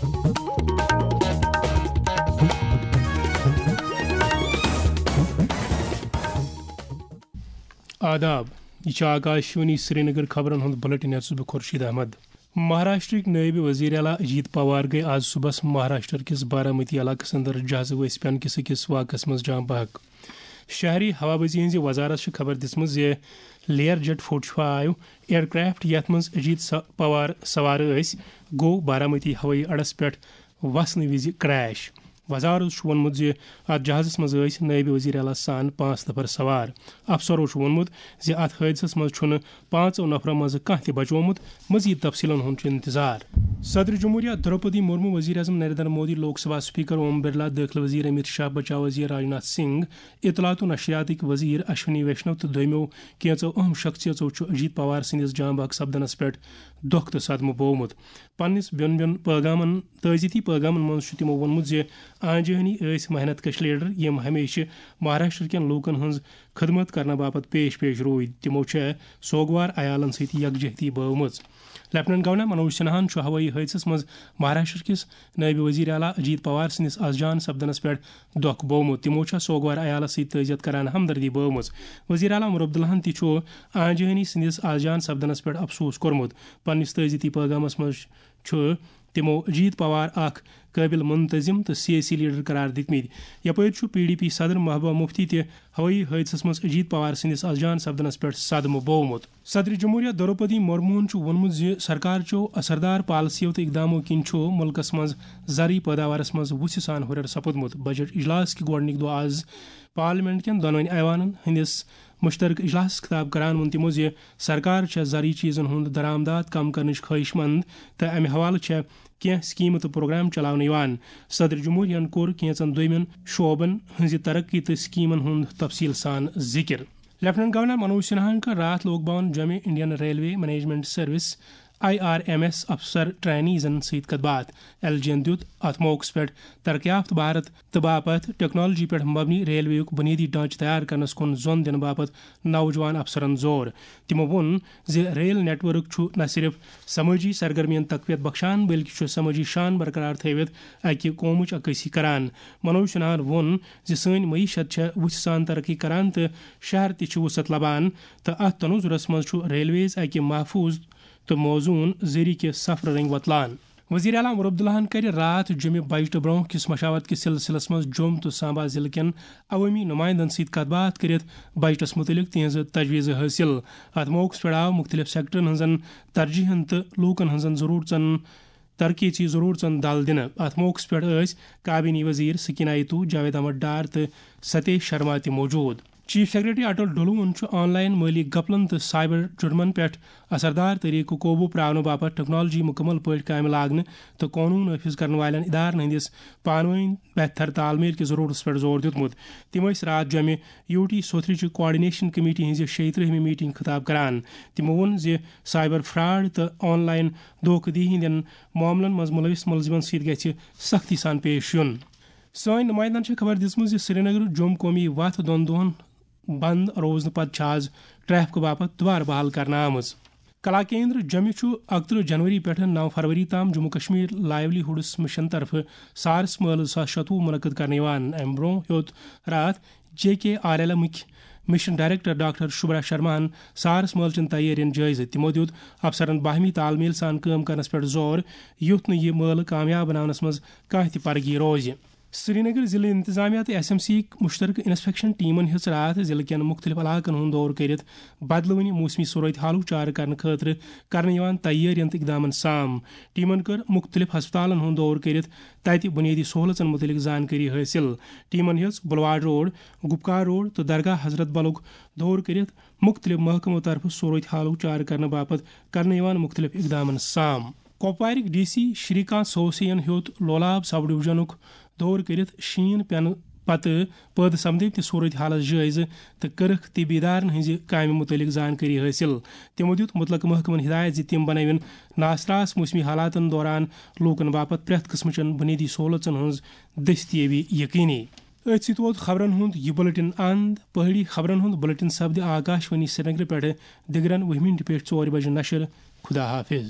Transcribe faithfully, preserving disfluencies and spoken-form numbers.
آداب، یہِ چھِ آکاشوانی سرینگر۔ خبرن ہُنٛد بُلٹن ہیٚتھ چھُس بہٕ خورشید احمد۔ مہاراشٹرٕکۍ نٲیِب وزیر اعلیٰ اجیت پوار گٔے آز صُبحس مہاراشٹر کِس بارامتی علاقس اندر جہازٕ ؤسۍ پٮ۪نہٕ کِس أکِس واقعس منٛز جاں بحق۔ شہری ہوابازی ہٕنٛزِ وزارت چھِ خبر دِژمٕژ زِ layer jet forty five aircraft, یتھ منٛز اجیت س-، پوار سوار ٲسۍ، گوٚو بارامتی ہوٲیی اڈس پٮ۪ٹھ وسنہٕ وِزِ کریش۔ وزارت چھُ ووٚنمُت زِ اتھ جہازس منٛز ٲسۍ نٲیِب وزیر اعلیٰ سان پانٛژھ نفر سوار۔ افسرو چھُ ووٚنمُت زِ اتھ حٲدثس منٛز چھُنہٕ پانٛژو نفرو منٛزٕ کانٛہہ تہِ بچومُت۔ مزید تفصیلن ہُنٛد چھُ انتظار۔ صدر جمہوریہ درپدی مرمو، وزیر اعظم نریندر مودی، لوک سبھا اسپیکر اوم برلا، دٲخلہٕ وزیر امت شاہ، بچاو وزیر راجناتھ سنگھ، اطلاعات و نشریاتٕکۍ وزیر اشونی ویشنو تہٕ دویمو کینژو اہم شخصیژو چھُ اجیت پوار سٕنٛدِس جاں بحق سپدنس پٮ۪ٹھ دۄکھ تہٕ صدمہٕ بوومُت۔ پننِس بیوٚن بیوٚن پٲغامن، تعزیتی پٲغامن منٛز چھُ تِمو ووٚنمُت زِ آنجہانی ٲسۍ محنت کش لیڈر، یِم ہمیشہِ مہاراشٹر کٮ۪ن لوٗکن ہٕنٛز خدمت کرنہٕ باپتھ پیش پیش روٗدۍ۔ تِمو چھےٚ سوگوار عیالن سۭتۍ یکجہتی بٲومٕژ۔ لیفٹیننٹ گورنر منوج سنہاہن چھُ ہوٲیی حٲدثس منٛز مہاراشٹر کِس نٲیِب وزیر اعلیٰ اجیت پوار سٕنٛدِس از جان سپدنس پٮ۪ٹھ دۄکھ بوومُت۔ تِمو چھےٚ سوگوار عیالس سۭتۍ تعزیت کران ہمدردی بٲومٕژ۔ وزیر اعلیٰ عمر عبداللہن تہِ چھُ آنجہانی سٕنٛدِس از جان سپدنس پٮ۪ٹھ افسوس کوٚرمُت۔ پننِس تعزیتی پٲغامس منٛز چھُ تِمو اجیت پوار اکھ قٲبل منتظم تہٕ سیٲسی لیڈر قرار دِتمٕتۍ۔ یپٲرۍ چھُ پی ڈی پی صدر محبوبہ مفتی تہِ ہوٲیی حٲدثس منٛز اجیت پوار سٕنٛدِس از جان سپدنس پٮ۪ٹھ صدمہٕ بوومُت۔ صدر جمہوریہ دروپدی مرموہن چھُ ووٚنمُت زِ سرکار چٮ۪و اثردار پالیسیو تہٕ اقدامو کِنۍ چھُ مُلکس منٛز زرعی پٲداوارس منٛز وُژھِ سان ہُرٮ۪ر سپُدمُت۔ بجٹ اجلاس کہِ گۄڈٕنِکۍ دۄہ از پارلیمنٹ کٮ۪ن دۄنوٕنی ایوانن ہٕنٛدِس مشترکہٕ اجلاسس خطاب کران ووٚن تِمو زِ سرکار چھےٚ زرعی چیزن ہُنٛد درآمدات کم کرنٕچ خواہش مند تہٕ امہِ حوالہٕ چھےٚ کینٛہہ سکیمہٕ تہٕ پروگرام چلاونہٕ یِوان۔ صدر جمہوریہن کوٚر کینژن دویمٮ۪ن شعبن ہٕنٛزِ ترقی تہٕ سکیمن ہُنٛد تفصیل سان ذکر۔ لیفٹیننٹ گورنر منوج سنہاہن کٔر راتھ لوک بھون جوٚمہِ Indian railway management service, I R M S, افسر ٹرینیزن سۭتۍ کتھ باتھ۔ ایل جی ین دیُت اتھ موقعس پٮ۪ٹھ ترقی یافتہٕ بھارت تہٕ باپتھ ٹیکنالوجی پٮ۪ٹھ مبنی ریلوے یُک بنیٲدی ڈھانچہٕ تیار کرنس کُن زۄن دِنہٕ باپتھ نوجوان افسرن زور۔ تِمو ووٚن زِ ریل نیٹ ورک چھُ نہ صرف سمٲجی سرگرمین تقویت بخشان، بلکہِ چھُ سمٲجی شان برقرار تھٲوِتھ اکہِ قومٕچ عکٲسی کران۔ منوج سنہاہن ووٚن زِ سٲنۍ معیشت چھےٚ وُژھِ سان ترقی کران تہٕ شہر تہِ چھِ وُسعت لبان، تہٕ اتھ تناظرس منٛز چھُ ریلویز اکہِ محفوظ تہٕ موزون ذٔریعہٕ کہِ سفرٕ رٔنگۍ وۄتلان۔ وزیر اعلیٰ عمر عبداللہن کَرِ راتھ جمعہ بجٹہٕ برونٛہہ کِس مشاورت کِس سلسلس منٛز جوٚم تہٕ سامبا ضلعہٕ کٮ۪ن عوٲمی نمائندن سۭتۍ کتھ باتھ کٔرِتھ بجٹس مُتعلق تِہنٛزٕ تجویٖزٕ حٲصِل۔ اتھ موقعس پٮ۪ٹھ آو مُختٔلِف سیکٹرن ہٕنٛزن ترجیحن تہٕ لوٗکن ہٕنٛزن ضروٗرژن، ترقیتی ضروٗرژن دل دِنہٕ۔ اتھ موقعس پٮ۪ٹھ ٲسۍ کابینی وزیر سکینہ ایتو، جاوید احمد ڈار تہٕ ستیش شرما تہِ موجود۔ چیف سیکرٹری اٹل ڈلوہن چھُ آن لائن مٲلی گپلن تہٕ سائبر جرمن پٮ۪ٹھ اثردار طریقہٕ قوبوٗ پراونہٕ باپتھ ٹیکنالوجی مُکمل پٲٹھۍ کامہِ لاگنہٕ تہٕ قونوٗن نافذ کرن والٮ۪ن ادارن ہٕنٛدِس پانہٕ وٲنۍ بہتر تال میل کِس ضروٗرتس پٮ۪ٹھ زور دیُتمُت۔ تِم ٲسۍ راتھ جمعہ یوٗ ٹی سوتھرٕچہِ کوآرڈینیشن کمیٹی ہٕنٛزِ شیٚیہِ ترٛہمہِ میٹنگ خطاب کران۔ تِمو ووٚن زِ سائبر فراڈ تہٕ آن لائن دھوکہٕ دِہی ہٕنٛدٮ۪ن معاملن منٛز مُلوث مُلزِمن سۭتۍ گژھِ سختی سان پیش یُن۔ سٲنۍ نمائندن چھےٚ خبر دِژمٕژ زِ سرینگر جوٚم قومی وتھ دۄن دۄہن بند روزنہٕ پتہٕ چھِ آز ٹریفکہٕ باپتھ دوبارٕ بحال کرنہٕ آمٕژ۔ کلا کیندر جمہِ چھُ اکترٕہ جنوری پٮ۪ٹھٕ نو فروری تام جموں کشمیر لائیولی ہُڈس مشن طرفہٕ سارس مٲلہٕ زٕ ساس شتوُہ منعقد کرنہٕ یِوان۔ امہِ برونٛہہ ہیوٚت راتھ جے کے آر ایل ایمٕکۍ مشن ڈائریکٹر ڈاکٹر شبرا شرماہن سارس مٲلہٕ چٮ۪ن تیٲرین جٲیزٕ۔ تِمو دیُت افسرن باہمی تال میل سان کٲم کرنس پٮ۪ٹھ زور، یُتھ نہٕ یہِ مٲلہٕ کامیاب بناونس منٛز کانٛہہ تہِ پرگی روزِ۔ سرینگر ضلع انتظامیہ تہٕ ایس ایم سی یٕک مشترکہٕ انسپیکشن ٹیمن ہیٚژ راتھ ضلعہٕ کٮ۪ن مختلف علاقن ہُنٛد دورٕ کٔرِتھ بدلوٕنہِ موسمی صورت حالُک چارٕ کرنہٕ خٲطرٕ کرنہٕ یِوان تیٲرین تہٕ اقدامن سام۔ ٹیمن کٔر مختلف ہسپتالن ہُنٛد دورٕ کٔرِتھ تتہِ بنیٲدی سہولژن متعلق زانکٲری حٲصِل۔ ٹیمن ہیٚژ بلواڑ روڈ، گپکار روڈ تہٕ درگاہ حضرت بلُک دورٕ کٔرِتھ مختلف محکمو طرفہٕ صورت حالُک چارٕ کرنہٕ باپتھ کرنہٕ یِوان مختلف اقدامن سام۔ کۄپوارٕکۍ ڈی سی شری کانت سوسے ین ہیوٚت لولاب سب ڈویژنُک دورٕ کٔرِتھ شیٖن پٮ۪نہٕ پتہٕ پٲدٕ سپدمٕتۍ صورت حالس جٲیزٕ تہٕ کٔرٕکھ طبی ادارن ہٕنٛزِ کامہِ مُتعلق زانکٲری حٲصِل۔ تِمو دیُت مُتلقہٕ محکمن ہدایت زِ تِم بنٲوِن ناسراس موسمی حالاتن دوران لوٗکن باپتھ پرٛٮ۪تھ قٕسمٕچن بُنیٲدی سہولژن ہٕنٛز دٔستیٲبی یقینی۔ أتھۍ سۭتۍ ووت خبرن ہُنٛد یہِ بُلٹن اند۔ پہٲڑی خبرن ہُنٛد بُلٹن سپدِ آکاش وانی سرینگرٕ پٮ۪ٹھٕ دِگرن وُہہِ مِنٹہِ پٮ۪ٹھ ژورِ بجہِ نشر۔ خدا حافظ۔